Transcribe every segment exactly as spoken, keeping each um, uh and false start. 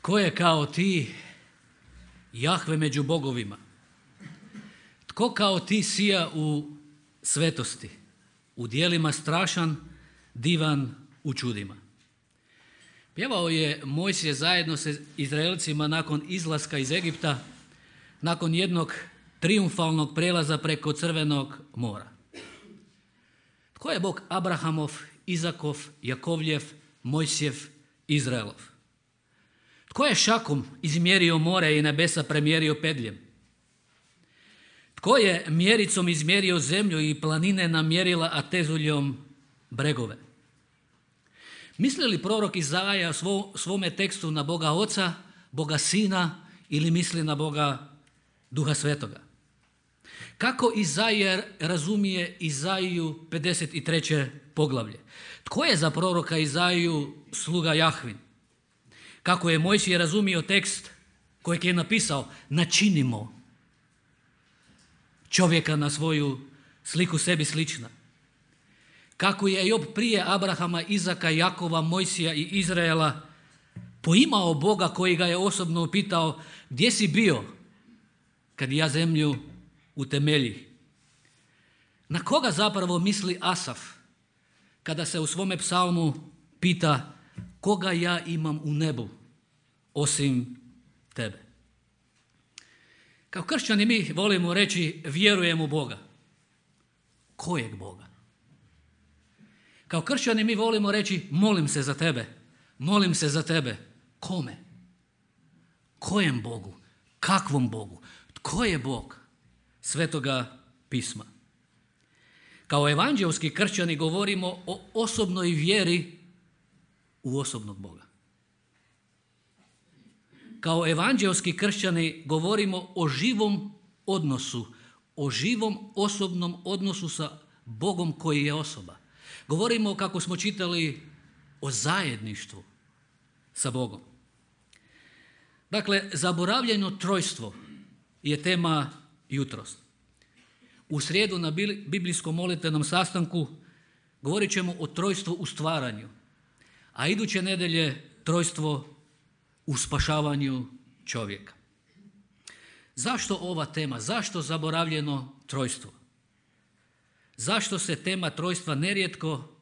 Tko je kao ti, Jahve među bogovima? Tko kao ti sija u svetosti, u djelima strašan, divan u čudima? Pjevao je Mojsije zajedno sa Izraelcima nakon izlaska iz Egipta, nakon jednog trijumfalnog prelaza preko Crvenog mora. Tko je Bog Abrahamov, Izakov, Jakovljev, Mojsijev, Izraelov? Tko je šakom izmjerio more i nebesa premjerio pedljem? Tko je mjericom izmjerio zemlju i planine namjerila, a tezuljom bregove? Misli li prorok Izaja svo, svome tekstu na Boga Oca, Boga Sina ili misli na Boga Duha Svetoga? Kako Izaija razumije Izaiju pedeset treće poglavlje? Tko je za proroka Izaiju sluga Jahvin? Kako je Mojsije razumio tekst kojeg je napisao: načinimo čovjeka na svoju sliku sebi slična? Kako je Job prije Abrahama, Izaka, Jakova, Mojsija i Izraela poimao Boga koji ga je osobno upitao: gdje si bio kad ja zemlju utemelji? Na koga zapravo misli Asaf kada se u svome psalmu pita: koga ja imam u nebu osim tebe? Kao kršćani mi volimo reći vjerujem u Boga. Kojeg Boga? Kao kršćani mi volimo reći molim se za tebe. Molim se za tebe. Kome? Kojem Bogu? Kakvom Bogu? Tko je Bog Svetoga pisma? Kao evanđelski kršćani govorimo o osobnoj vjeri u osobnog Boga. Kao evanđelski kršćani govorimo o živom odnosu, o živom osobnom odnosu sa Bogom koji je osoba. Govorimo, kako smo čitali, o zajedništvu sa Bogom. Dakle, zaboravljeno trojstvo je tema jutros. U srijedu na biblijskom molitvenom sastanku govorit ćemo o trojstvu u stvaranju, a iduće nedelje trojstvo u spašavanju čovjeka. Zašto ova tema? Zašto zaboravljeno trojstvo? Zašto se tema trojstva nerijetko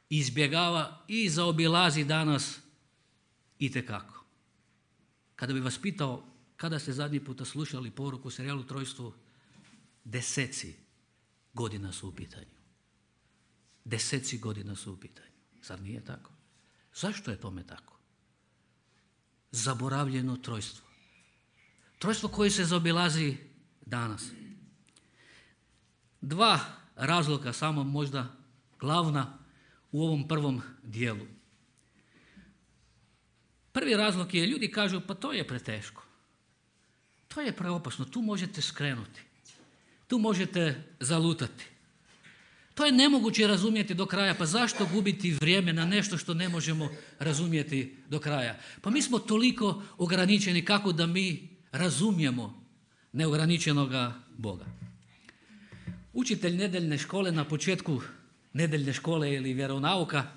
izbjegava i zaobilazi danas itekako? Kada bi vas pitao kada ste zadnji puta slušali poruku o serijalu Trojstvu, deseci godina su u pitanju. Deseci godina su u pitanju. Zar nije tako? Zašto je tome tako? Zaboravljeno trojstvo. Trojstvo koje se zaobilazi danas. Dva razloga, samo možda glavna u ovom prvom dijelu. Prvi razlog je, ljudi kažu, pa to je preteško. To je preopasno, tu možete skrenuti. Tu možete zalutati. To je nemoguće razumjeti do kraja, pa zašto gubiti vrijeme na nešto što ne možemo razumjeti do kraja? Pa mi smo toliko ograničeni kako da mi razumijemo neograničenoga Boga. Učitelj nedeljne škole na početku nedeljne škole ili vjeronauka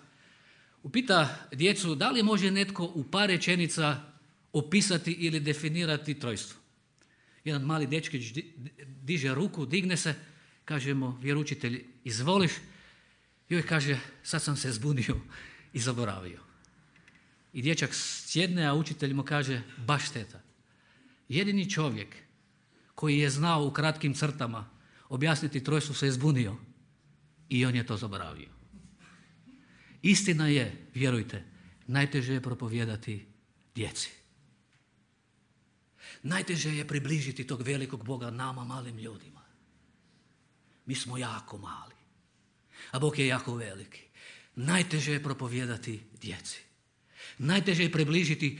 upita djecu da li može netko u par rečenica opisati ili definirati trojstvo. Jedan mali dečkić diže ruku, digne se, kaže mu vjeroučitelj izvoliš, joj kaže sad sam se zbunio i zaboravio. I dječak sjedne, a učitelj mu kaže baš šteta. Jedini čovjek koji je znao u kratkim crtama objasniti trojstvo se je zbunio i on je to zaboravio. Istina je, vjerujte, najteže je propovijedati djeci. Najteže je približiti tog velikog Boga nama, malim ljudima. Mi smo jako mali, a Bog je jako veliki. Najteže je propovijedati djeci. Najteže je približiti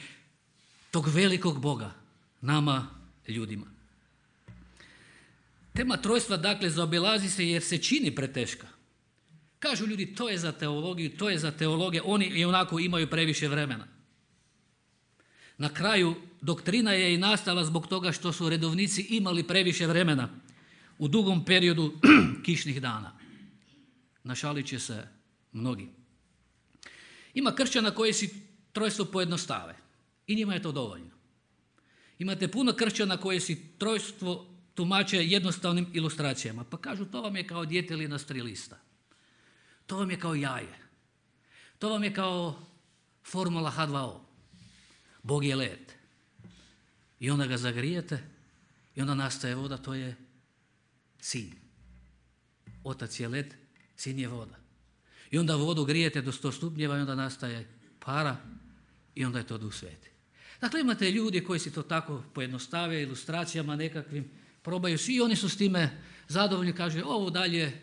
tog velikog Boga nama, ljudima. Tema trojstva, dakle, zaobilazi se jer se čini preteška. Kažu ljudi, to je za teologiju, to je za teologe, oni i onako imaju previše vremena. Na kraju, doktrina je i nastala zbog toga što su redovnici imali previše vremena u dugom periodu kišnih dana. Našalit će se mnogi. Ima kršćana koji si trojstvo pojednostave. I njima je to dovoljno. Imate puno kršćana koji si trojstvo tumače jednostavnim ilustracijama. Pa kažu, to vam je kao djetelina s tri lista. To vam je kao jaje. To vam je kao formula H dva O. Bog je led. I onda ga zagrijete i onda nastaje voda, to je sin. Otac je led, sin je voda. I onda vodu grijete do sto stupnjeva i onda nastaje para i onda je to Duh Sveti. Dakle, imate ljudi koji si to tako pojednostave ilustracijama nekakvim, probaju svi i oni su s time zadovoljni, kaže ovo dalje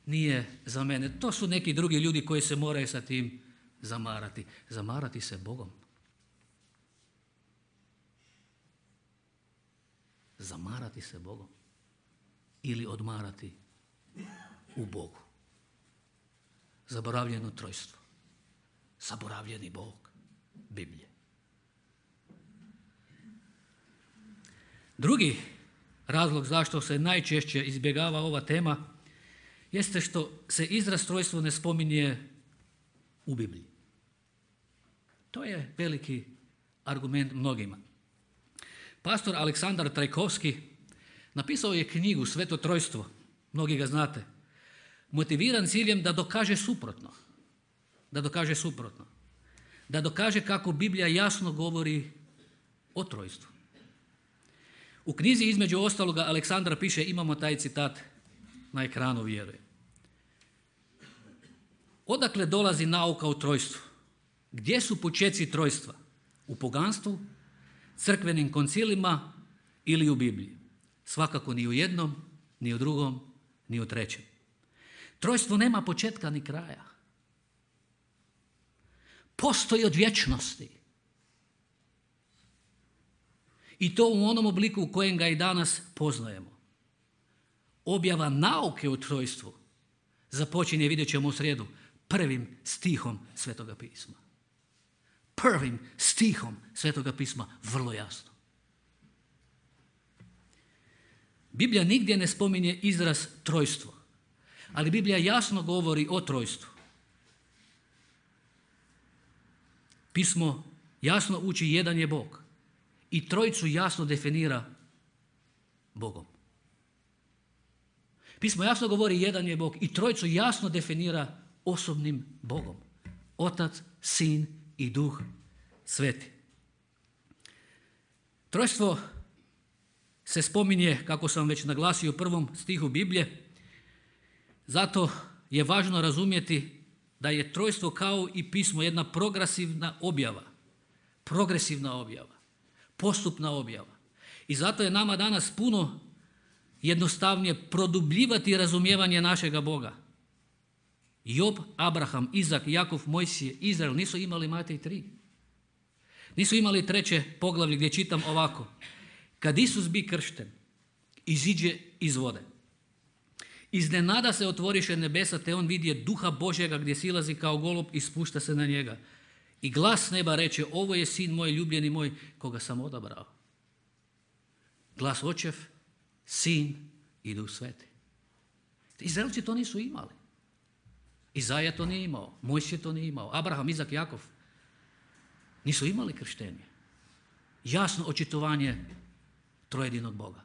nije za mene. To su neki drugi ljudi koji se moraju sa tim zamarati. Zamarati se Bogom. Zamarati se Bogom. Ili odmarati u Bogu. Zaboravljeno trojstvo. Zaboravljeni Bog. Biblije. Drugi razlog zašto se najčešće izbjegava ova tema jeste što se izraz trojstvo ne spominje u Bibliji. To je veliki argument mnogima. Pastor Aleksandar Trajkovski napisao je knjigu Sveto trojstvo, mnogi ga znate, motiviran ciljem da dokaže suprotno. Da dokaže suprotno. Da dokaže kako Biblija jasno govori o trojstvu. U knjizi između ostaloga Aleksandar piše, imamo taj citat na ekranu, vjerujem. Odakle dolazi nauka o trojstvu? Gdje su počeci trojstva? U poganstvu, crkvenim koncilima ili u Bibliji? Svakako ni u jednom, ni u drugom, ni u trećem. Trojstvo nema početka ni kraja. Postoji od vječnosti. I to u onom obliku u kojem ga i danas poznajemo. Objava nauke o trojstvu započinje, vidjet ćemo u srijedu, prvim stihom Svetoga pisma. Prvim stihom Svetoga pisma, vrlo jasno. Biblija nigdje ne spominje izraz trojstvo, ali Biblija jasno govori o trojstvu. Pismo jasno uči jedan je Bog i trojicu jasno definira Bogom. Pismo jasno govori jedan je Bog i trojicu jasno definira osobnim Bogom. Otac, Sin i Duh Sveti. Trojstvo se spominje, kako sam već naglasio u prvom stihu Biblije, zato je važno razumjeti da je trojstvo kao i pismo jedna progresivna objava. Progresivna objava. Postupna objava. I zato je nama danas puno jednostavnije produbljivati razumijevanje našega Boga. Job, Abraham, Izak, Jakov, Mojsije, Izrael nisu imali Matej tri. Nisu imali treće poglavlje gdje čitam ovako. Kad Isus bi kršten, iziđe iz vode. Iznenada se otvoriše nebesa, te on vidje duha Božjega gdje silazi kao golub i spušta se na njega. I glas neba reče, ovo je sin moj, ljubljeni moj, koga sam odabrao. Glas Očev, Sin i Duh Sveti. Izraelci to nisu imali. Izaja to nije imao, Mojsije to nije imao, Abraham, Izak, Jakov nisu imali krštenje. Jasno očitovanje trojedinog Boga.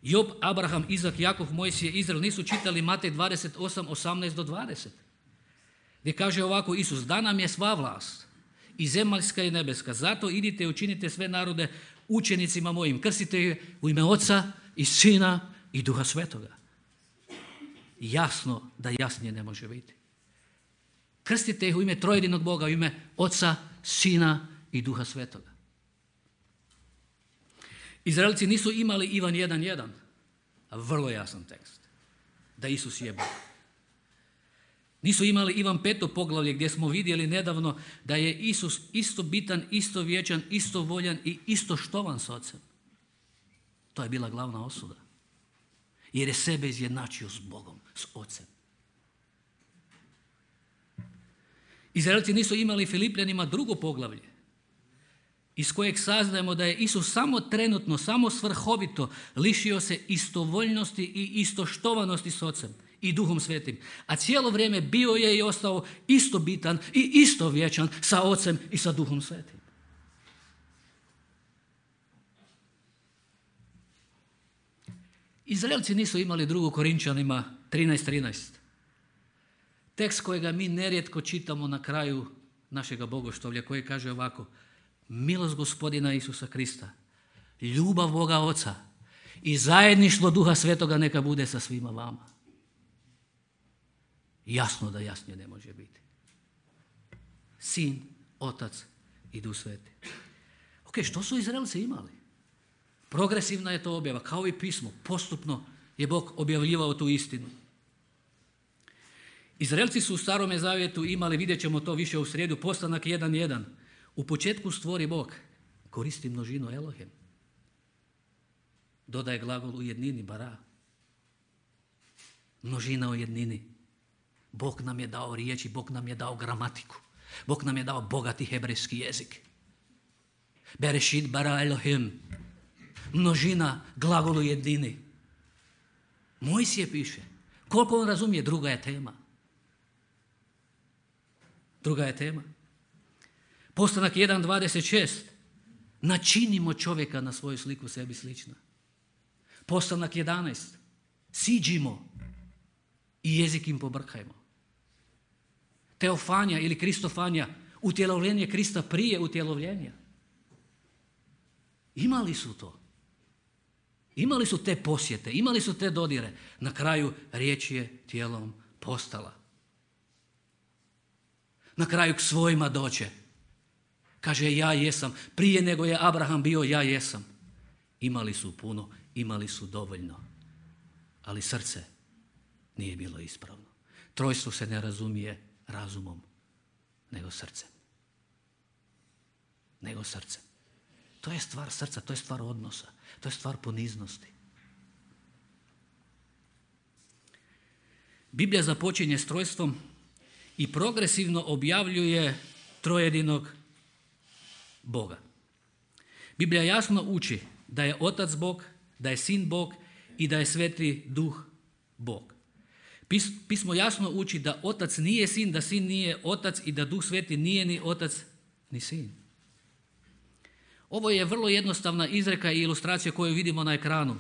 Job, Abraham, Izak, Jakov, Mojsije, Izrael nisu čitali Matej dvadeset osam, osamnaest do dvadeset. Gdje kaže ovako Isus, da nam je sva vlast i zemaljska i nebeska, zato idite i učinite sve narode učenicima mojim, krstite ih u ime Oca i Sina i Duha Svetoga. Jasno da jasnije ne može biti. Krstite ih u ime trojedinog Boga, u ime Oca, Sina i Duha Svetoga. Izraelci nisu imali Ivan jedan jedan, a vrlo jasan tekst, da Isus je Bog. Nisu imali Ivan peto poglavlje gdje smo vidjeli nedavno da je Isus isto bitan, isto vječan, isto voljan i isto štovan s Ocem. To je bila glavna osuda. Jer je sebe izjednačio s Bogom, s Ocem. Izraelci nisu imali Filipljanima drugo poglavlje iz kojeg saznajemo da je Isus samo trenutno, samo svrhovito lišio se istovoljnosti i istoštovanosti s Ocem i Duhom Svetim. A cijelo vrijeme bio je i ostao isto bitan i isto vječan sa Ocem i sa Duhom Svetim. Izraelci nisu imali drugu Korinčanima trinaest trinaest. Tekst kojega mi nerijetko čitamo na kraju našega bogoštovlja, koji kaže ovako: milost Gospodina Isusa Krista, ljubav Boga Oca i zajedništvo Duha Svetoga neka bude sa svima vama. Jasno da jasnije ne može biti. Sin, Otac i Duh Sveti. Ok, što su Izraelci imali? Progresivna je to objava, kao i pismo. Postupno je Bog objavljivao tu istinu. Izraelci su u Starome zavjetu imali, vidjet ćemo to više u srijedu, postanak jedan jedan. U početku stvori Bog, koristi množinu Elohem. Dodaje glagol u jednini, bara. Množina u jednini. Bog nam je dao riječi, Bog nam je dao gramatiku. Bog nam je dao bogati hebrejski jezik. Berešit bara Elohim. Množina, glagol u jednini. Mojsije piše. Koliko on razumije, druga je tema. Druga je tema. Postanak jedan dvadeset šest. Načinimo čovjeka na svoju sliku, sebi slična. Postanak jedanaest. Siđimo i jezik im pobrkajmo. Teofanja ili Kristofanja, utjelovljenje Krista prije utjelovljenja. Imali su to. Imali su te posjete, imali su te dodire. Na kraju riječ je tijelom postala. Na kraju k svojima doće. Kaže, ja jesam. Prije nego je Abraham bio, ja jesam. Imali su puno, imali su dovoljno. Ali srce nije bilo ispravno. Trojstvo se ne razumije razumom, nego srcem. Nego srcem. To je stvar srca, to je stvar odnosa, to je stvar poniznosti. Biblija započinje s trojstvom i progresivno objavljuje trojedinog Boga. Biblija jasno uči da je Otac Bog, da je Sin Bog i da je Sveti Duh Bog. Pismo jasno uči da Otac nije Sin, da Sin nije Otac i da Duh Sveti nije ni Otac ni Sin. Ovo je vrlo jednostavna izreka i ilustracija koju vidimo na ekranu.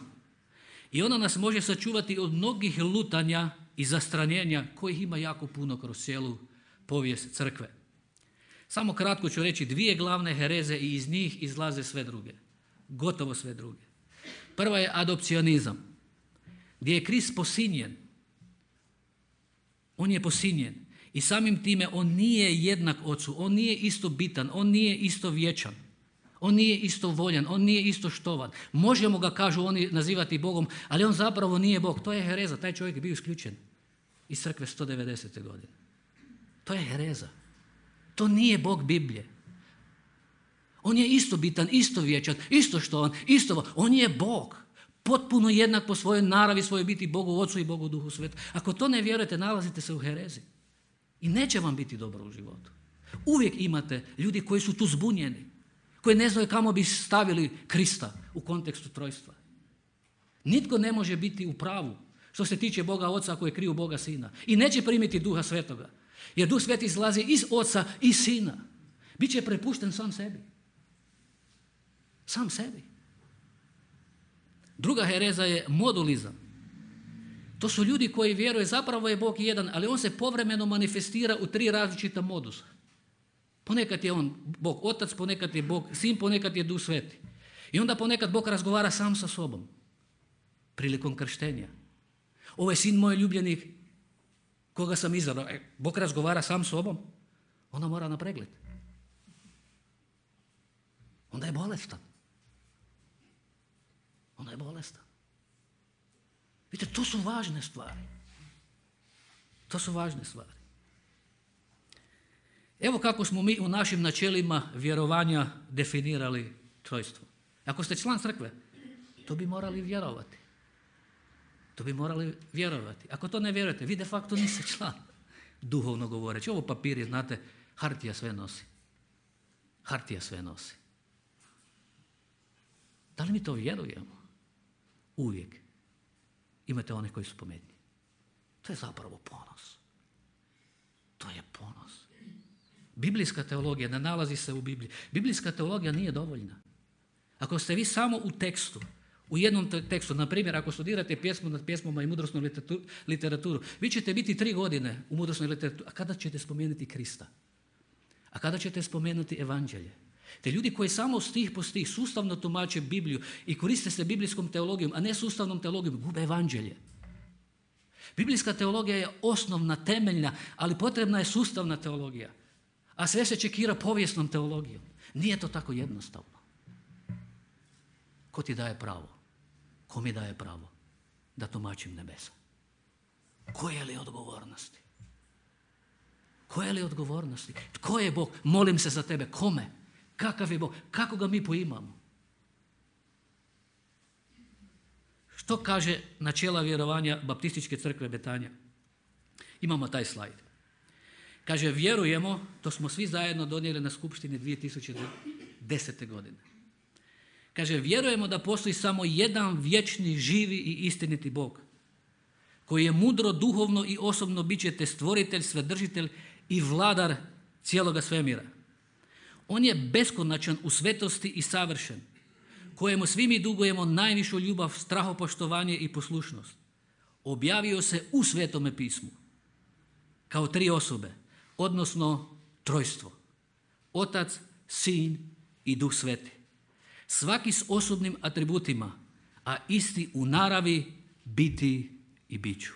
I ona nas može sačuvati od mnogih lutanja i zastranjenja kojih ima jako puno kroz cijelu povijest crkve. Samo kratko ću reći dvije glavne hereze i iz njih izlaze sve druge. Gotovo sve druge. Prva je adopcionizam, gdje je Krist posinjen. On je posinjen i samim time on nije jednak Ocu, on nije isto bitan, on nije isto vječan. On nije isto voljan, on nije isto štovan. Možemo ga, kažu oni, nazivati Bogom, ali on zapravo nije Bog. To je hereza, taj čovjek je bio isključen iz crkve sto devedesete godine. To je hereza. To nije Bog Biblije. On je isto bitan, isto vječan, isto štovan, isto, on je Bog. Potpuno jednak po svojoj naravi, svojoj biti Bogu Ocu i Bogu Duhu Svetom. Ako to ne vjerujete, nalazite se u herezi. I neće vam biti dobro u životu. Uvijek imate ljudi koji su tu zbunjeni, koji ne znaju kamo bi stavili Krista u kontekstu trojstva. Nitko ne može biti u pravu što se tiče Boga Oca ako je kriju Boga Sina. I neće primiti Duha Svetoga. Jer Duh Sveti izlazi iz Oca i Sina. Biće prepušten sam sebi. Sam sebi. Druga hereza je modulizam. To su ljudi koji vjeruju zapravo je Bog jedan, ali on se povremeno manifestira u tri različita modusa. Ponekad je on Bog Otac, ponekad je Bog Sin, ponekad je Duh Sveti. I onda ponekad Bog razgovara sam sa sobom. Prilikom krštenja. Ovo je sin moj ljubljenik koga sam izabrao. E, Bog razgovara sam s sobom. Onda mora na pregled. Onda je bolestan. Onda je bolestan. Vidite, to su važne stvari. To su važne stvari. Evo kako smo mi u našim načelima vjerovanja definirali trojstvo. Ako ste član crkve, to bi morali vjerovati. To bi morali vjerovati. Ako to ne vjerujete, vi de facto niste član. Duhovno govoreći. Ovo papir je, znate, hartija sve nosi. Hartija sve nosi. Da li mi to vjerujemo? Uvijek. Imate one koji su pametni. To je zapravo ponos. To je ponos. Biblijska teologija ne nalazi se u Bibliji. Biblijska teologija nije dovoljna. Ako ste vi samo u tekstu, U jednom tekstu, na primjer, ako studirate pjesmu nad pjesmama i mudrosnu literaturu, vi ćete biti tri godine u mudrosnoj literaturi, a kada ćete spomenuti Krista? A kada ćete spomenuti evanđelje? Te ljudi koji samo stih po stih sustavno tumače Bibliju i koriste se biblijskom teologijom, a ne sustavnom teologijom, gube evanđelje. Biblijska teologija je osnovna, temeljna, ali potrebna je sustavna teologija. A sve se čekira povijesnom teologijom. Nije to tako jednostavno. Ko ti daje pravo? Ko mi daje pravo da tumačim nebesa? Koje li odgovornosti? Koje li odgovornosti? Tko je Bog? Molim se za tebe. Kome? Kakav je Bog? Kako ga mi poimamo? Što kaže načela vjerovanja Baptističke crkve Betanja? Imamo taj slajd. Kaže, vjerujemo, to smo svi zajedno donijeli na skupštini dvije tisuće desete. godine. Kaže, vjerujemo da postoji samo jedan vječni, živi i istiniti Bog, koji je mudro, duhovno i osobno biće te stvoritelj, svedržitelj i vladar cijeloga svemira. On je beskonačan u svetosti i savršen, kojemu svi mi dugujemo najvišu ljubav, strahopoštovanje i poslušnost. Objavio se u Svetome pismu kao tri osobe, odnosno trojstvo. Otac, Sin i Duh Sveti. Svaki s osobnim atributima, a isti u naravi, biti i biću.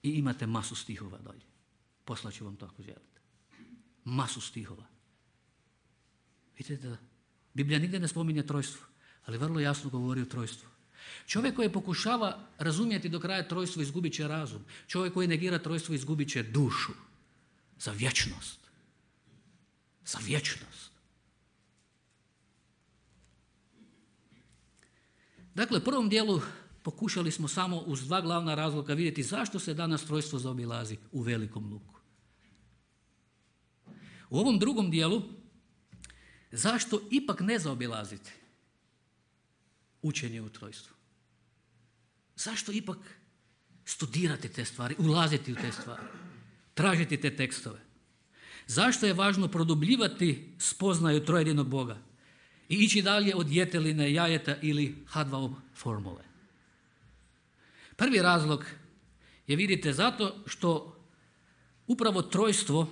I imate masu stihova dalje. Poslaću vam to ako želite. Masu stihova. Vidite da Biblija nigdje ne spominje trojstvo, ali vrlo jasno govori o trojstvu. Čovjek koji pokušava razumjeti do kraja trojstvo izgubit će razum. Čovjek koji negira trojstvo izgubit će dušu. Za vječnost. Za vječnost. Dakle, u prvom dijelu pokušali smo samo uz dva glavna razloga vidjeti zašto se danas trojstvo zaobilazi u velikom luku. U ovom drugom dijelu zašto ipak ne zaobilaziti učenje u trojstvu? Zašto ipak studirati te stvari, ulaziti u te stvari, tražiti te tekstove? Zašto je važno produbljivati spoznaju trojedinog Boga i ići dalje od jeteline, jajeta ili H dva O formule? Prvi razlog je, vidite, zato što upravo trojstvo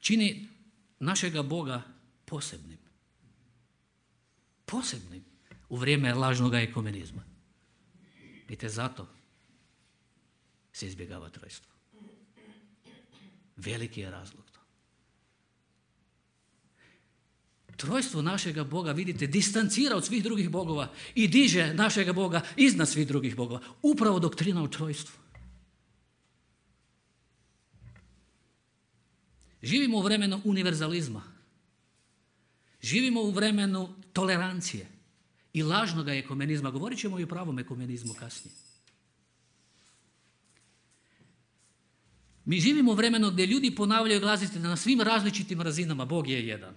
čini našega Boga posebnim. Posebnim u vrijeme lažnog ekumenizma. Vidite, zato se izbjegava trojstvo. Veliki je razlog to. Trojstvo našega Boga, vidite, distancira od svih drugih bogova i diže našega Boga iznad svih drugih bogova. Upravo doktrina o trojstvu. Živimo u vremenu univerzalizma. Živimo u vremenu tolerancije i lažnog ekumenizma. Govorit ćemo i o pravom ekumenizmu kasnije. Mi živimo u vremenu gdje ljudi ponavljaju glazite na svim različitim razinama. Bog je jedan.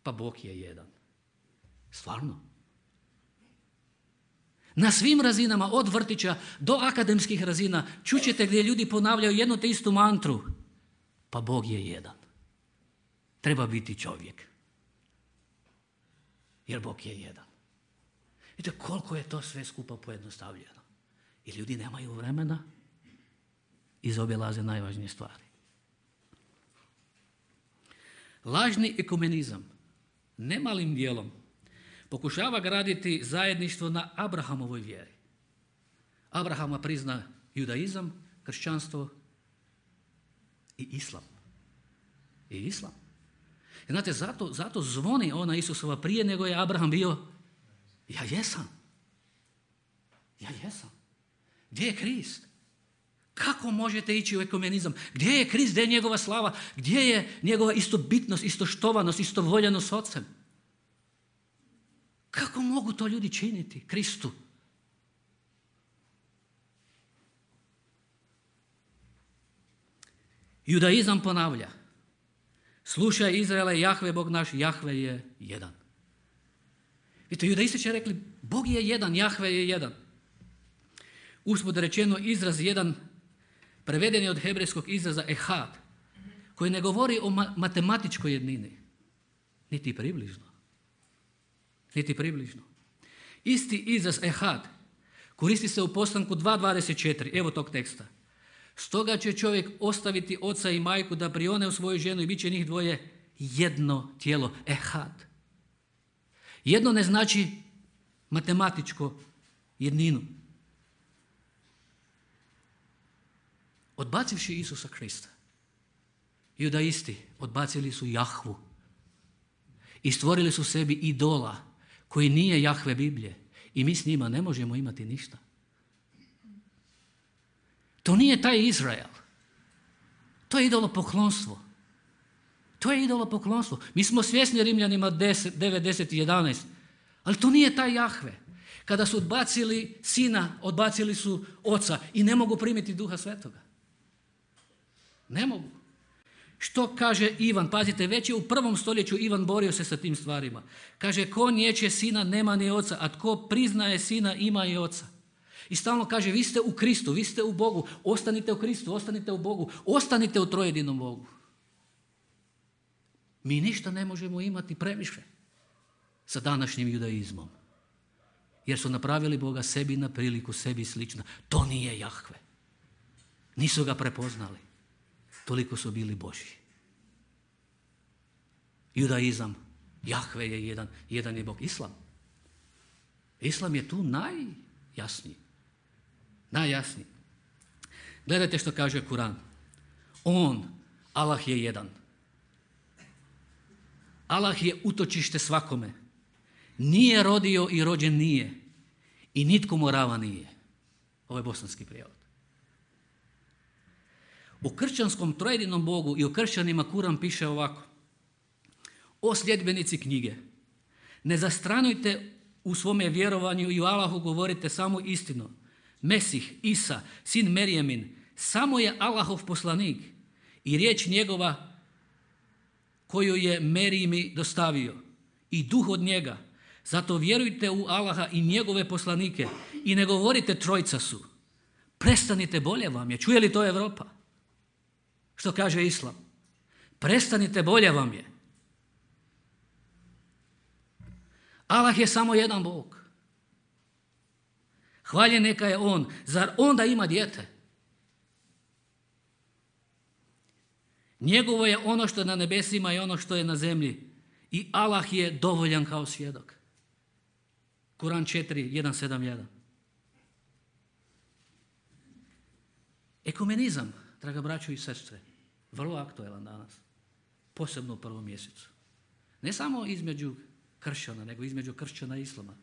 Pa Bog je jedan. Stvarno. Na svim razinama, od vrtića do akademskih razina, čućete gdje ljudi ponavljaju jednu te istu mantru. Pa Bog je jedan. Treba biti čovjek. Jer Bog je jedan. Vidite koliko je to sve skupa pojednostavljeno. I ljudi nemaju vremena i zaobilaze najvažnije stvari. Lažni ekumenizam nemalim dijelom pokušava graditi zajedništvo na Abrahamovoj vjeri. Abrahama prizna judaizam, kršćanstvo i islam. I islam. I znate, zato, zato zvoni ona Isusova prije nego je Abraham bio. Ja jesam. Ja jesam. Gdje je Krist? Kako možete ići u ekumenizam? Gdje je Krist? Gdje je njegova slava? Gdje je njegova istobitnost, istoštovanost, istovoljanost s Otcem? Kako mogu to ljudi činiti Kristu? Judaizam ponavlja. Slušaj Izraele, Jahve Bog naš, Jahve je jedan. Vidite, judaisti će rekli, Bog je jedan, Jahve je jedan. Usput rečeno, izraz jedan preveden je od hebrejskog izraza ehad, koji ne govori o ma- matematičkoj jednini. Niti približno. Niti približno. Isti izraz ehad koristi se u Postanku dva dvadeset četiri. Evo tog teksta. Stoga će čovjek ostaviti oca i majku da prione u svoju ženu i bit će njih dvoje jedno tijelo. Ehad. Jedno ne znači matematičko jedninu. Odbacivši Isusa Krista, judaisti odbacili su Jahvu i stvorili su sebi idola koji nije Jahve Biblije i mi s njima ne možemo imati ništa. To nije taj Izrael. To je idolopoklonstvo. To je idolopoklonstvo. Mi smo svjesni Rimljanima devet, deset i jedanaest, ali to nije taj Jahve. Kada su odbacili sina, odbacili su oca i ne mogu primiti Duha Svetoga. Ne mogu. Što kaže Ivan? Pazite, već je u prvom stoljeću Ivan borio se sa tim stvarima. Kaže, ko niječe sina nema ni oca, a tko priznaje sina ima i oca. I stalno kaže, vi ste u Kristu, vi ste u Bogu, ostanite u Kristu, ostanite u Bogu, ostanite u trojedinom Bogu. Mi ništa ne možemo imati previše sa današnjim judaizmom. Jer su napravili Boga sebi na priliku, sebi slično. To nije Jahve. Nisu ga prepoznali. Toliko su bili Božji. Judaizam, Jahve je jedan, jedan je Bog. Islam. Islam je tu najjasniji. Najjasniji. Gledajte što kaže Kuran. On, Allah je jedan. Allah je utočište svakome. Nije rodio i rođen nije. I nitko mu rava nije. Ovo je bosanski prijevod. U kršćanskom trojedinom Bogu i u kršćanima Kuran piše ovako. O sljedbenici knjige, ne zastranujte u svome vjerovanju i u Allahu govorite samo istinu. Mesih, Isa, sin Merijemin, samo je Allahov poslanik i riječ njegova koju je Merijimi dostavio i duh od njega. Zato vjerujte u Allaha i njegove poslanike i ne govorite trojca su. Prestanite, bolje vam je. Čuje li to Europa? Što kaže Islam? Prestanite, bolje vam je. Allah je samo jedan Bog. Hvaljen neka je On. Zar onda ima dijete? Njegovo je ono što je na nebesima i ono što je na zemlji. I Allah je dovoljan kao svjedok. Kuran četiri, jedan, sedam, jedan. Ekumenizam, draga braćo i sestre, vrlo aktuelan danas. Posebno u prvom mjesecu. Ne samo između kršćana, nego između kršćana i islama.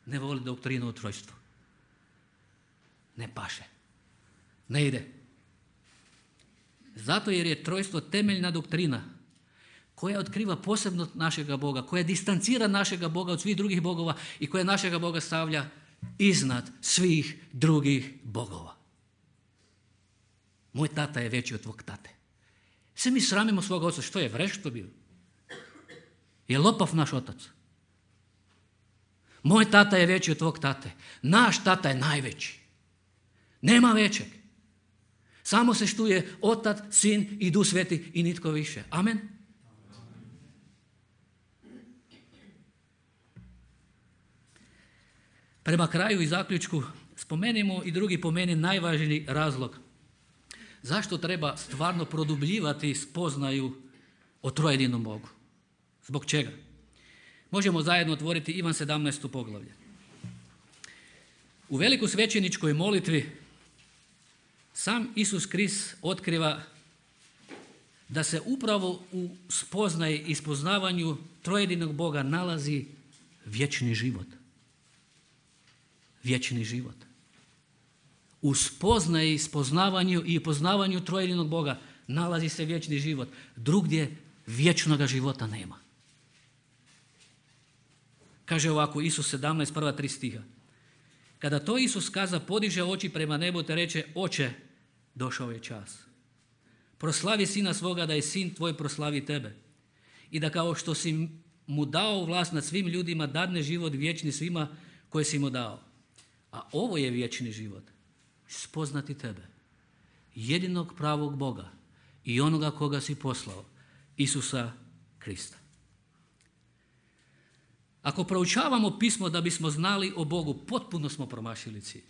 Ne voli doktrinu o trojstvu. Ne paše. Ne ide. Zato jer je trojstvo temeljna doktrina koja otkriva posebno našega Boga, koja distancira našega Boga od svih drugih bogova i koja našega Boga stavlja iznad svih drugih bogova. Moj tata je veći od tvog tate. Sve mi sramimo svoga oca. Što je, vreš to bio? Je lopav naš otac? Moj tata je veći od tvog tate. Naš tata je najveći. Nema većeg. Samo se štuje Otac, Sin i Duh Sveti i nitko više. Amen. Prema kraju i zaključku spomenimo i drugi po meni najvažniji razlog zašto treba stvarno produbljivati spoznaju o trojedinom Bogu. Zbog čega? Možemo zajedno otvoriti Ivan sedamnaesto poglavlje. U veliku svećeničkoj molitvi sam Isus Krist otkriva da se upravo u spoznaji i spoznavanju trojedinog Boga nalazi vječni život. Vječni život. U spoznaji, spoznavanju i poznavanju trojedinog Boga nalazi se vječni život. Drugdje vječnoga života nema. Kaže ovako, Isus sedamnaest, prva tri stiha. Kada to Isus kaza, podiže oči prema nebu te reče, Oče, došao je čas. Proslavi sina svoga da je sin tvoj proslavi tebe. I da kao što si mu dao vlast nad svim ljudima, dadne život vječni svima koje si mu dao. A ovo je vječni život. Spoznati tebe, jedinog pravog Boga i onoga koga si poslao, Isusa Krista. Ako proučavamo pismo da bismo znali o Bogu, potpuno smo promašili cilj.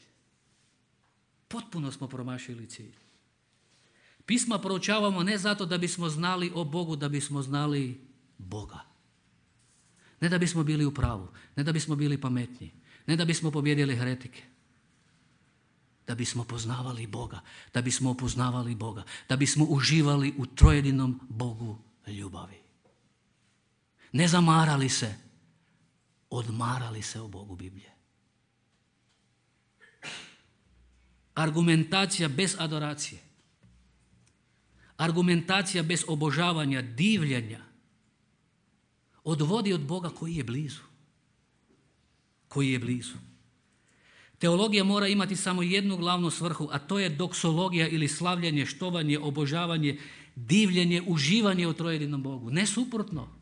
Potpuno smo promašili cilj. Pisma proučavamo ne zato da bismo znali o Bogu, da bismo znali Boga. Ne da bismo bili u pravu, ne da bismo bili pametni, ne da bismo pobjedili heretike. Da bismo poznavali Boga, da bismo upoznavali Boga, da bismo uživali u trojedinom Bogu ljubavi. Ne zamarali se, odmarali se o Bogu Biblije. Argumentacija bez adoracije. Argumentacija bez obožavanja, divljenja odvodi od Boga koji je blizu. Koji je blizu. Teologija mora imati samo jednu glavnu svrhu, a to je doksologija ili slavljenje, štovanje, obožavanje, divljenje, uživanje u trojedinom Bogu. Ne suprotno.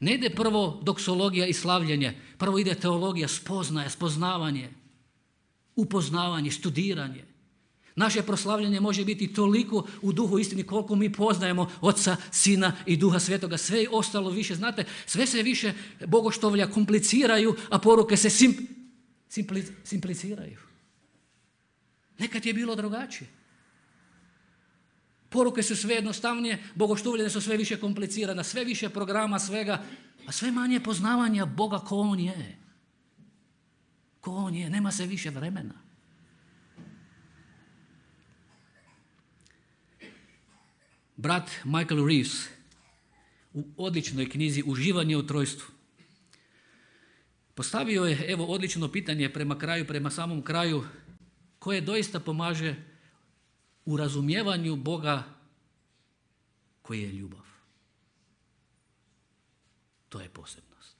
Ne ide prvo doksologija i slavljenje, prvo ide teologija, spoznaje, spoznavanje, upoznavanje, studiranje. Naše proslavljanje može biti toliko u duhu istini koliko mi poznajemo Oca, Sina i Duha Svetoga. Sve ostalo više, znate, sve se više bogoštovlja kompliciraju, a poruke se sim, simpli, simpliciraju. Nekad je bilo drugačije. Poruke su sve jednostavnije, bogoštovljene su sve više komplicirane, sve više programa, svega, a sve manje poznavanja Boga ko On je. Ko On je, nema se više vremena. Brat Michael Reeves u odličnoj knjizi Uživanje u trojstvu postavio je, evo, odlično pitanje prema kraju, prema samom kraju, koje doista pomaže u razumijevanju Boga koji je ljubav. To je posebnost.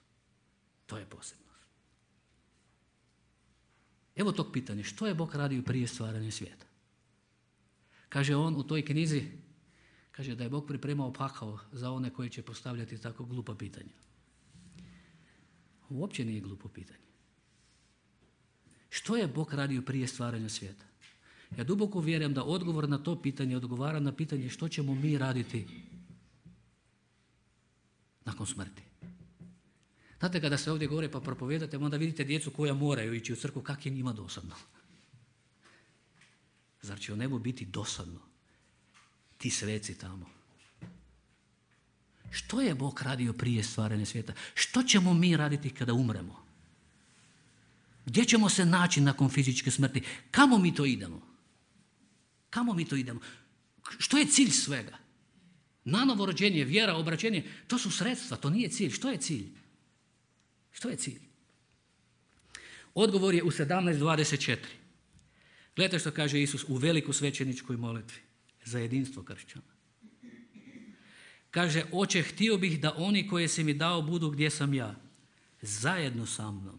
To je posebnost. Evo tog pitanja. Što je Bog radio prije stvaranja svijeta? Kaže on u toj knjizi, kaže da je Bog pripremao pakao za one koji će postavljati tako glupa pitanja. Uopće nije glupo pitanje. Što je Bog radio prije stvaranja svijeta? Ja duboko vjerujem da odgovor na to pitanje odgovara na pitanje što ćemo mi raditi nakon smrti. Znate, kada se ovdje govore pa propovedate, onda vidite djecu koja moraju ići u crkvu, kak je njima dosadno. Zar će u nebu biti dosadno? Ti sveci tamo. Što je Bog radio prije stvaranja svijeta? Što ćemo mi raditi kada umremo? Gdje ćemo se naći nakon fizičke smrti? Kamo mi to idemo? Kamo mi to idemo? Što je cilj svega? Nanovo rođenje, vjera, obraćenje, to su sredstva, to nije cilj. Što je cilj? Što je cilj? Odgovor je u sedamnaest dvadeset četiri. Gledajte što kaže Isus u veliku svećeničkoj molitvi za jedinstvo kršćana. Kaže, Oče, htio bih da oni koje si mi dao budu gdje sam ja. Zajedno sa mnom.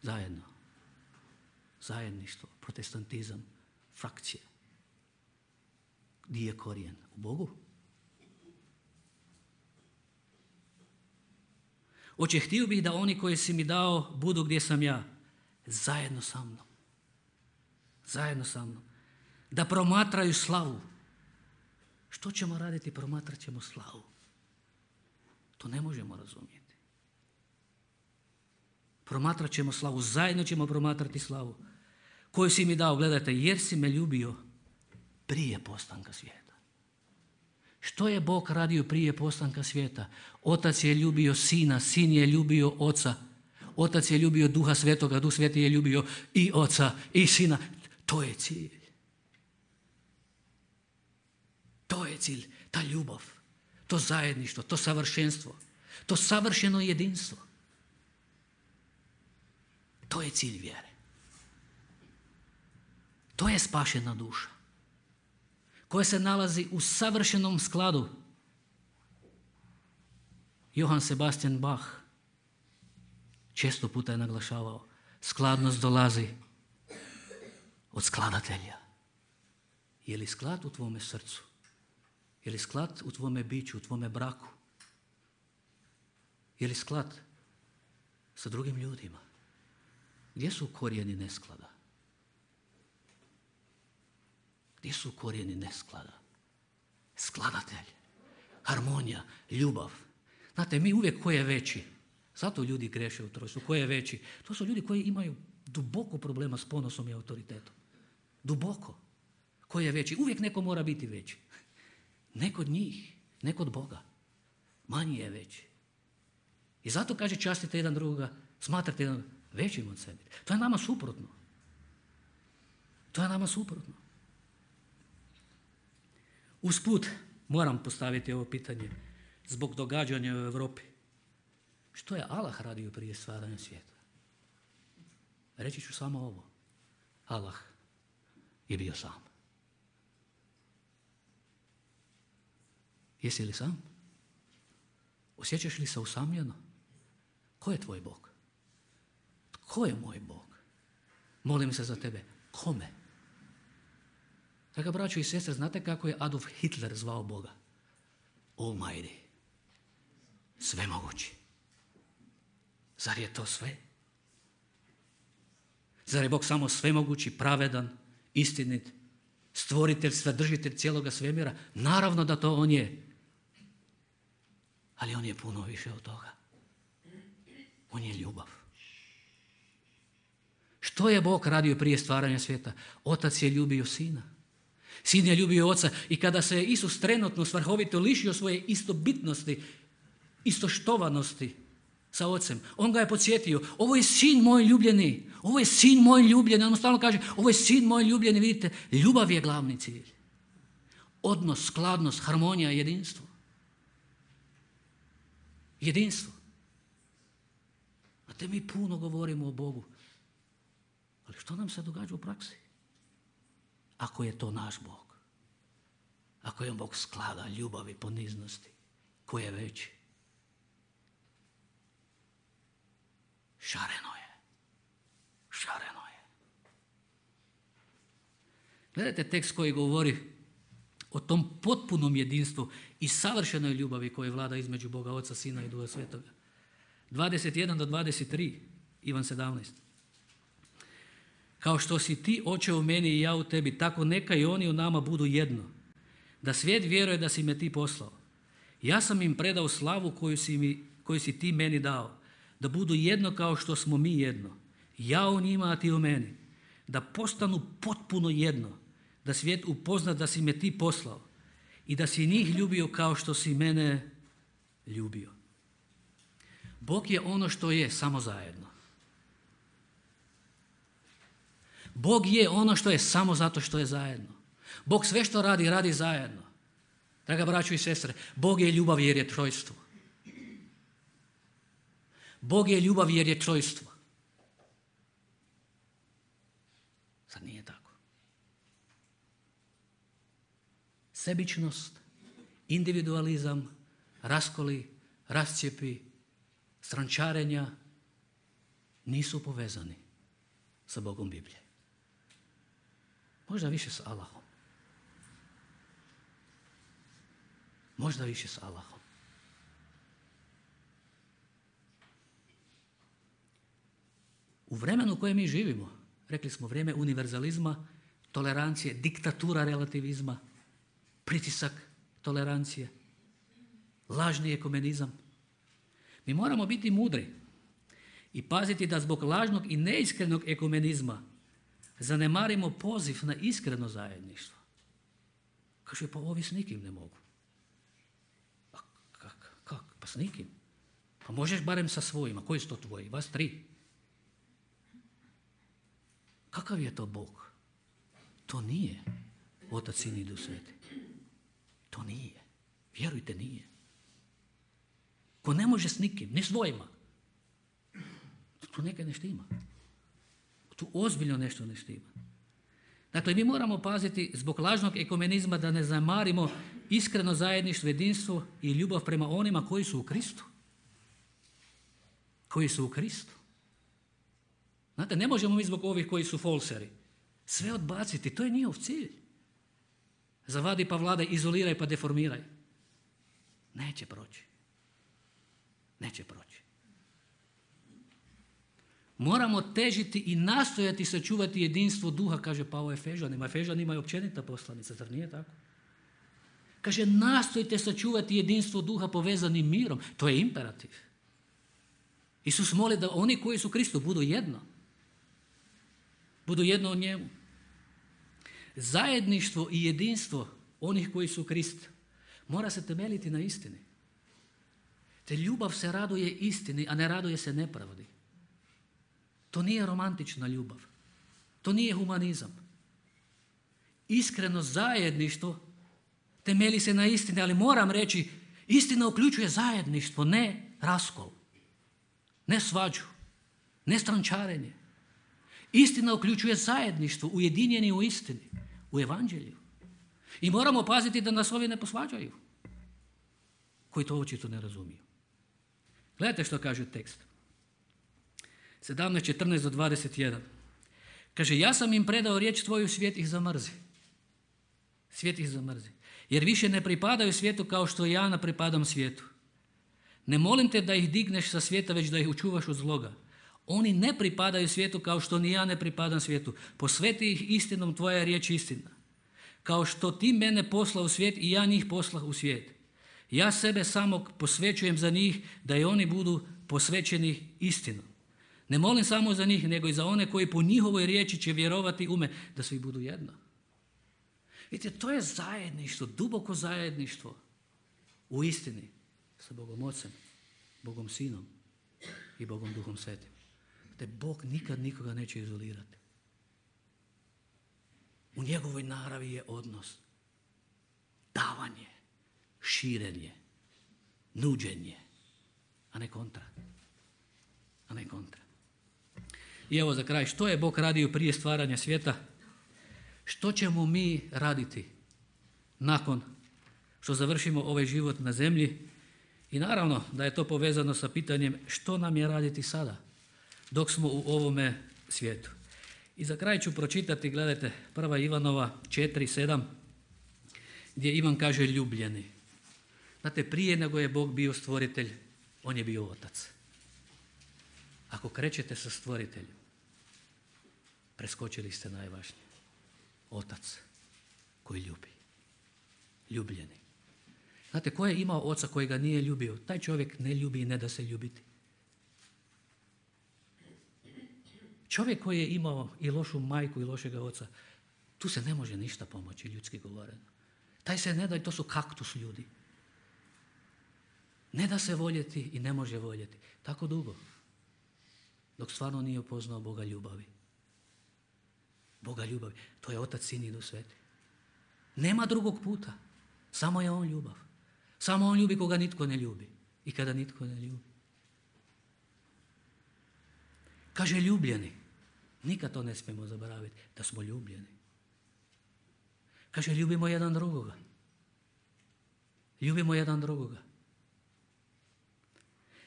Zajedno. Zajedništvo, protestantizam, frakcija. Gdje je korijen? U Bogu. Oče, htio bih da oni koje si mi dao budu gdje sam ja. Zajedno sa mnom. Zajedno sa mnom. Da promatraju slavu. Što ćemo raditi? Promatrat ćemo slavu. To ne možemo razumjeti. Promatrat ćemo slavu. Zajedno ćemo promatrati slavu. Koju si mi dao, gledajte, jer si me ljubio prije postanka svijeta. Što je Bog radio prije postanka svijeta? Otac je ljubio Sina, Sin je ljubio Oca. Otac je ljubio Duha Svetoga, Duh Sveti je ljubio i Oca i Sina. To je cilj. To je cilj, ta ljubav, to zajedništvo, to savršenstvo, to savršeno jedinstvo. To je cilj vjere. To je spašena duša koja se nalazi u savršenom skladu. Johann Sebastian Bach često puta je naglašavao, skladnost dolazi od skladatelja. Je li sklad u tvome srcu? Je li sklad u tvome biću, u tvome braku? Je li sklad sa drugim ljudima? Gdje su korijeni nesklada? Gdje su korijeni nesklada? Skladatelj, harmonija, ljubav. Znate, mi uvijek ko je veći. Zato ljudi greše u trojstvu. Ko je veći? To su ljudi koji imaju duboko problema s ponosom i autoritetom. Duboko. Ko je veći? Uvijek neko mora biti veći. Ne kod njih, ne kod Boga. Manji je veći. I zato kaže častite jedan drugoga, smatrate jedan većim od sebe. To je nama suprotno. To je nama suprotno. Usput moram postaviti ovo pitanje zbog događanja u Europi. Što je Allah radio prije stvaranja svijeta? Reći ću samo ovo. Allah je bio sam. Jesi li sam? Osjećaš li se usamljeno? Ko je tvoj Bog? Tko je moj Bog? Molim se za tebe. Kome? Draga braćo i sestre, znate kako je Adolf Hitler zvao Boga? Almighty. Svemogući. Zar je to sve? Zar je Bog samo svemogući, pravedan, istinit, stvoritelj, svedržitelj cijeloga svemira? Naravno da to on je. Ali on je puno više od toga. On je ljubav. Što je Bog radio prije stvaranja svijeta? Otac je ljubio sina. Sin je ljubio oca i kada se Isus trenutno svrhovito lišio svoje istobitnosti, istoštovanosti sa ocem, on ga je podsjetio, ovo je sin moj ljubljeni, ovo je sin moj ljubljeni, on mu stalno kaže, ovo je sin moj ljubljeni, vidite, ljubav je glavni cilj. Odnos, skladnost, harmonija, jedinstvo. Jedinstvo. A te mi puno govorimo o Bogu. Ali što nam se događa u praksi? Ako je to naš Bog. Ako je on Bog sklada, ljubavi, poniznosti. Ko je veći? Šareno je. Šareno je. Gledajte tekst koji govori o tom potpunom jedinstvu i savršenoj ljubavi koja vlada između Boga, Oca, Sina i Duha Svetoga. dvadeset jedan do dvadeset tri, Ivan sedamnaest. Kao što si ti, Oče, u meni i ja u tebi, tako neka i oni u nama budu jedno. Da svijet vjeruje da si me ti poslao. Ja sam im predao slavu koju si, mi, koju si ti meni dao. Da budu jedno kao što smo mi jedno. Ja u njima, a ti u meni. Da postanu potpuno jedno. Da svijet upozna da si me ti poslao. I da si njih ljubio kao što si mene ljubio. Bog je ono što je, samo zajedno. Bog je ono što je samo zato što je zajedno. Bog sve što radi, radi zajedno. Draga braćo i sestre, Bog je ljubav jer je trojstvo. Bog je ljubav jer je trojstvo. Sad nije tako. Sebičnost, individualizam, raskoli, rascijepi, strančarenja nisu povezani sa Bogom Biblije. Možda više s Allahom. Možda više s Allahom. U vremenu u kojem mi živimo, rekli smo vrijeme univerzalizma, tolerancije, diktatura relativizma, pritisak tolerancije, lažni ekumenizam. Mi moramo biti mudri i paziti da zbog lažnog i neiskrenog ekumenizma zanemarimo poziv na iskreno zajedništvo. Kaže, pa ovi s nikim ne mogu. A kak, kak, pa s nikim? Pa možeš barem sa svojima. Koji su to tvoji? Vas tri. Kakav je to Bog? To nije Otac, Sin i Duh Sveti. To nije. Vjerujte, nije. Ko ne može s nikim, ni svojima. Tu nekaj ne štima. Tu ozbiljno nešto ne štima. Dakle, mi moramo paziti zbog lažnog ekumenizma da ne zamarimo iskreno zajedništvo, jedinstvo i ljubav prema onima koji su u Kristu. Koji su u Kristu. Znate, ne možemo mi zbog ovih koji su folseri sve odbaciti, to je njihov cilj. Zavadi pa vladaj, izoliraj pa deformiraj. Neće proći. Neće proći. Moramo težiti i nastojati sačuvati jedinstvo duha, kaže Pavao Efežanima. Efežani imaju općenita poslanica, zar nije tako? Kaže, nastojte sačuvati jedinstvo duha povezanim mirom. To je imperativ. Isus moli da oni koji su Kristu budu jedno. Budu jedno o njemu. Zajedništvo i jedinstvo onih koji su Krist mora se temeljiti na istini. Te ljubav se raduje istini, a ne raduje se nepravdi. To nije romantična ljubav. To nije humanizam. Iskreno zajedništvo temelji se na istini, ali moram reći, istina uključuje zajedništvo, ne raskol, ne svađu, ne strančarenje. Istina uključuje zajedništvo, ujedinjeni u istini, u evanđelju. I moramo paziti da nas ovi ne posvađaju, koji to očito ne razumiju. Gledajte što kaže tekst. sedamnaest, četrnaest do dvadeset jedan. Kaže, ja sam im predao riječ tvoju, svijet ih zamrzi. Svijet ih zamrzi. Jer više ne pripadaju svijetu kao što ja ne pripadam svijetu. Ne molim te da ih digneš sa svijeta, već da ih učuvaš od zloga. Oni ne pripadaju svijetu kao što ni ja ne pripadam svijetu. Posveti ih istinom, tvoja je riječ istina. Kao što ti mene posla u svijet i ja njih poslah u svijet. Ja sebe samog posvećujem za njih, da i oni budu posvećeni istinom. Ne molim samo za njih, nego i za one koji po njihovoj riječi će vjerovati u me, da svi budu jedno. Vidite, to je zajedništvo, duboko zajedništvo u istini sa Bogom Ocem, Bogom Sinom i Bogom Duhom Svetim. Te Bog nikad nikoga neće izolirati. U njegovoj naravi je odnos, davanje, širenje, nuđenje, a ne kontra. A ne kontra. I evo za kraj, što je Bog radio prije stvaranja svijeta? Što ćemo mi raditi nakon što završimo ovaj život na zemlji? I naravno da je to povezano sa pitanjem što nam je raditi sada, dok smo u ovome svijetu. I za kraj ću pročitati, gledajte, prva Ivanova četiri sedam, gdje Ivan kaže ljubljeni. Znate, prije nego je Bog bio stvoritelj, on je bio otac. Ako krećete sa stvoriteljem, preskočili ste najvažnije. Otac koji ljubi. Ljubljeni. Znate, ko je imao oca koji ga nije ljubio? Taj čovjek ne ljubi i ne da se ljubiti. Čovjek koji je imao i lošu majku i lošega oca, tu se ne može ništa pomoći, ljudski govoreno. Taj se ne da, to su kaktus ljudi. Ne da se voljeti i ne može voljeti. Tako dugo. Dok stvarno nije upoznao Boga ljubavi. Boga ljubavi. To je Otac, Sin i Duh Sveti. Nema drugog puta. Samo je on ljubav. Samo on ljubi koga nitko ne ljubi. I kada nitko ne ljubi. Kaže ljubljeni. Nikad to ne smijemo zaboraviti. Da smo ljubljeni. Kaže ljubimo jedan drugoga. Ljubimo jedan drugoga.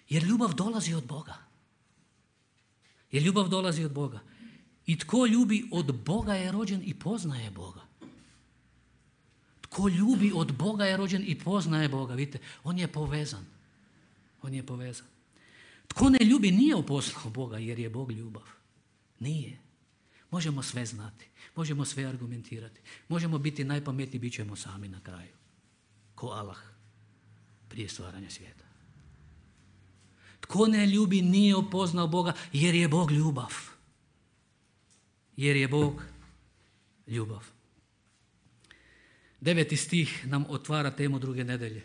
Jer ljubav dolazi od Boga. Jer ljubav dolazi od Boga. I tko ljubi od Boga je rođen i poznaje Boga. Tko ljubi od Boga je rođen i poznaje Boga. Vidite, on je povezan. On je povezan. Tko ne ljubi nije upoznao Boga jer je Bog ljubav. Nije. Možemo sve znati. Možemo sve argumentirati. Možemo biti najpametniji, bit ćemo sami na kraju. Ko Allah prije stvaranja svijeta. Tko ne ljubi nije upoznao Boga jer je Bog ljubav. Jer je Bog ljubav. Deveti stih nam otvara temu druge nedelje.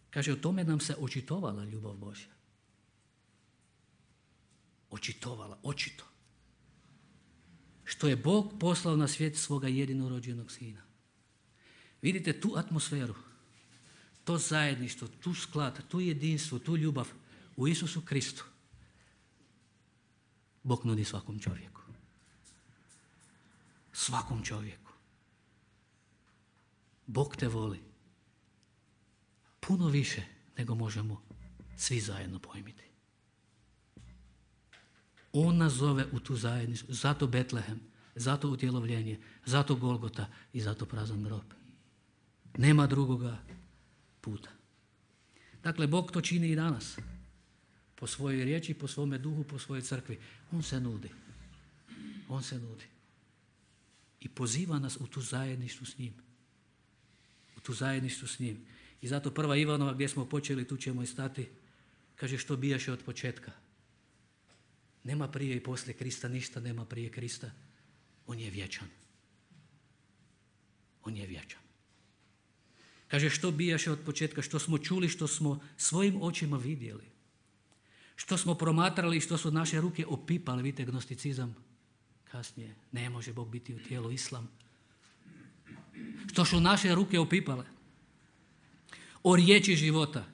Kaže, o tome nam se očitovala ljubav Božja. Očitovala, očito. Što je Bog poslao na svijet svoga jedinorođenog Sina. Vidite tu atmosferu, to zajedništvo, tu sklad, tu jedinstvo, tu ljubav u Isusu Kristu. Bog nudi svakom čovjeku. Svakom čovjeku. Bog te voli puno više nego možemo svi zajedno pojmiti. On nas zove u tu zajednicu, zato Betlehem, zato utjelovljenje, zato Golgota i zato prazan grob. Nema drugoga puta. Dakle, Bog to čini i danas. Po svojoj riječi, po svome duhu, po svojoj crkvi. On se nudi. On se nudi. I poziva nas u tu zajedništvu s njim. U tu zajedništvu s njim. I zato prva Ivanova gdje smo počeli, tu ćemo i stati, kaže što bijaše od početka. Nema prije i poslije Krista, ništa nema prije Krista. On je vječan. On je vječan. Kaže što bijaše od početka, što smo čuli, što smo svojim očima vidjeli. Što smo promatrali i što su naše ruke opipali, vidite gnosticizam kasnije. Ne može Bog biti u tijelu, islam. Što su naše ruke opipale. O riječi života.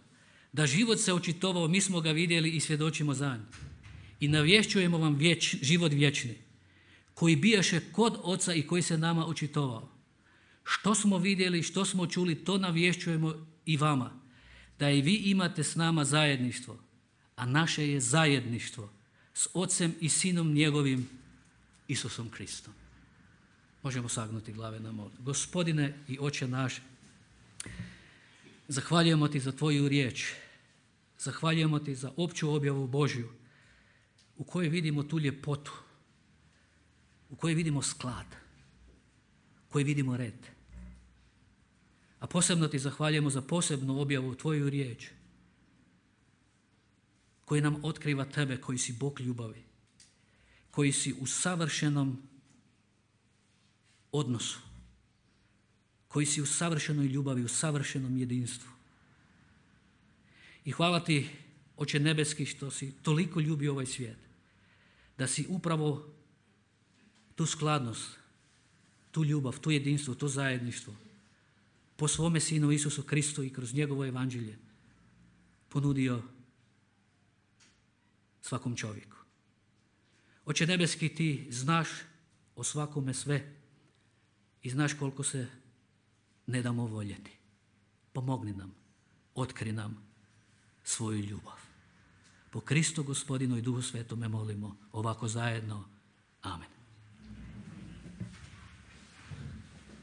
Da život se očitovao, mi smo ga vidjeli i svjedočimo za nj. I navješćujemo vam vječ, život vječni, koji bijaše kod Oca i koji se nama očitovao. Što smo vidjeli, što smo čuli, to navješćujemo i vama. Da i vi imate s nama zajedništvo, a naše je zajedništvo s Ocem i Sinom njegovim, Isusom Kristom. Možemo sagnuti glave na molitvu. Gospodine i Oče naš, zahvaljujemo ti za tvoju riječ. Zahvaljujemo ti za opću objavu Božju u kojoj vidimo tu ljepotu, u kojoj vidimo sklad, u kojoj vidimo red. A posebno ti zahvaljujemo za posebnu objavu tvoju riječ koji nam otkriva tebe koji si Bog ljubavi, koji si u savršenom odnosu, koji si u savršenoj ljubavi, u savršenom jedinstvu. I hvala ti, Oče nebeski, što si toliko ljubio ovaj svijet, da si upravo tu skladnost, tu ljubav, tu jedinstvo, to zajedništvo po svome Sinu Isusu Kristu i kroz njegovo evanđelje ponudio svakom čovjeku. Oče nebeski, ti znaš o svakome sve i znaš koliko se ne damo voljeti. Pomogni nam, otkri nam svoju ljubav. Po Kristu Gospodinu i Duhu Svetome molimo ovako zajedno. Amen.